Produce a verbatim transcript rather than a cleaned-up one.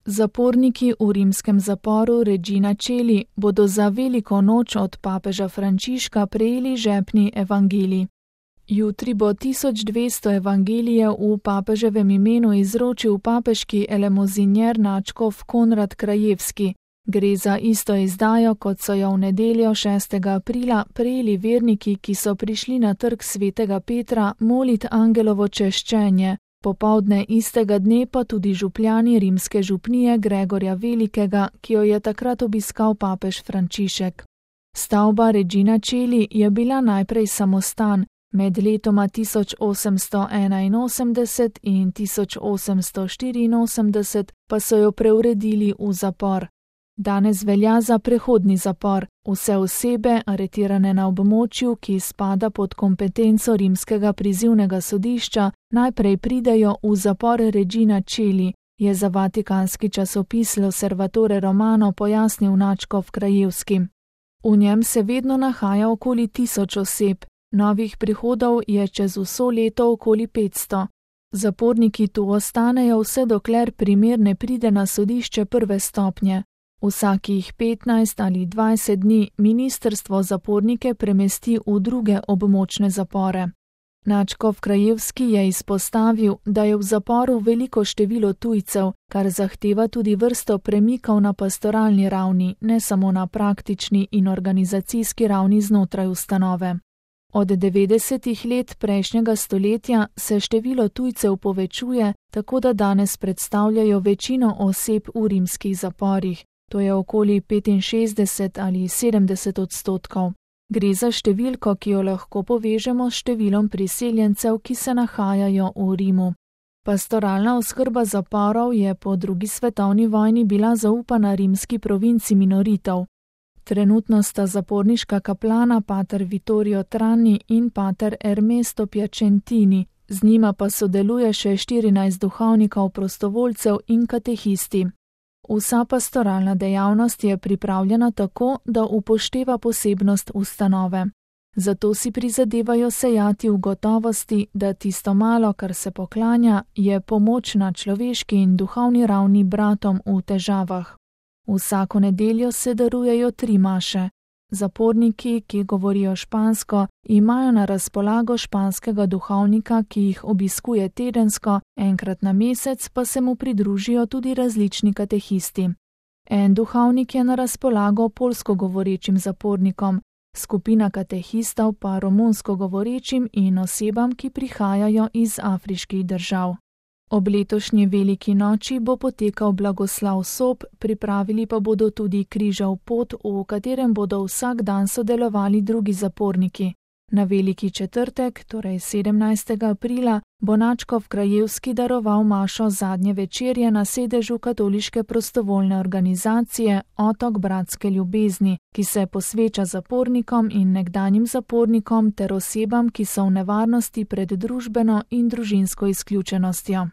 Zaporniki v rimskem zaporu Regina Coeli bodo za veliko noč od papeža Frančiška prejeli žepni evangelij. Jutri bo tisoč dvesto evangelijev v papeževem imenu izročil papeški elemozinjer nadškof Konrad Krajewski. Gre za isto izdajo, kot so jo v nedeljo šestega aprila prejeli verniki, ki so prišli na trg svetega Petra molit angelovo češčenje. Popoldne istega dne pa tudi župljani rimske župnije Gregorja Velikega, ki jo je takrat obiskal papež Frančišek. Stavba Regina Coeli je bila najprej samostan, med letoma tisoč osemsto enainosemdeset in tisoč osemsto štiriinosemdeset pa so jo preuredili v zapor. Danes velja za prehodni zapor. Vse osebe, aretirane na območju, ki spada pod kompetenco rimskega prizivnega sodišča, najprej pridejo v zapor Regina Coeli, je za vatikanski časopis L'Osservatore Romano pojasnil nadškof Krajewski. V njem se vedno nahaja okoli tisoč oseb, novih prihodov je čez vso leto okoli petsto. Zaporniki tu ostanejo vse dokler primer ne pride na sodišče prve stopnje. Vsakih petnajst ali dvajset dni ministrstvo zapornike premesti v druge območne zapore. Nadškof Krajewski je izpostavil, da je v zaporu veliko število tujcev, kar zahteva tudi vrsto premikov na pastoralni ravni, ne samo na praktični in organizacijski ravni znotraj ustanove. Od devetdesetih let prejšnjega stoletja se število tujcev povečuje, tako da danes predstavljajo večino oseb v rimskih zaporih. To je okoli petinšestdeset ali sedemdeset odstotkov. Gre za številko, ki jo lahko povežemo s številom priseljencev, ki se nahajajo v Rimu. Pastoralna oskrba zaporov je po drugi svetovni vojni bila zaupana rimski provinci minoritov. Trenutno sta zaporniška kaplana pater Vittorio Trani in pater Ernesto Piacentini, z njima pa sodeluje še štirinajst duhovnikov, prostovoljcev in katehisti. Vsa pastoralna dejavnost je pripravljena tako, da upošteva posebnost ustanove. Zato si prizadevajo sejati v gotovosti, da tisto malo, kar se poklanja, je pomoč na človeški in duhovni ravni bratom v težavah. Vsako nedeljo se darujejo tri maše. Zaporniki, ki govorijo špansko, imajo na razpolago španskega duhovnika, ki jih obiskuje tedensko, enkrat na mesec pa se mu pridružijo tudi različni katehisti. En duhovnik je na razpolago poljsko govorečim zapornikom, skupina katehistov pa romunsko govorečim in osebam, ki prihajajo iz afriških držav. Ob letošnji veliki noči bo potekal blagoslav sob, pripravili pa bodo tudi križev pot, v katerem bodo vsak dan sodelovali drugi zaporniki. Na veliki četrtek, torej sedemnajstega aprila, bo nadškof Krajewski daroval mašo zadnje večerje na sedežu katoliške prostovoljne organizacije Otok bratske ljubezni, ki se posveča zapornikom in nekdanjim zapornikom ter osebam, ki so v nevarnosti pred družbeno in družinsko izključenostjo.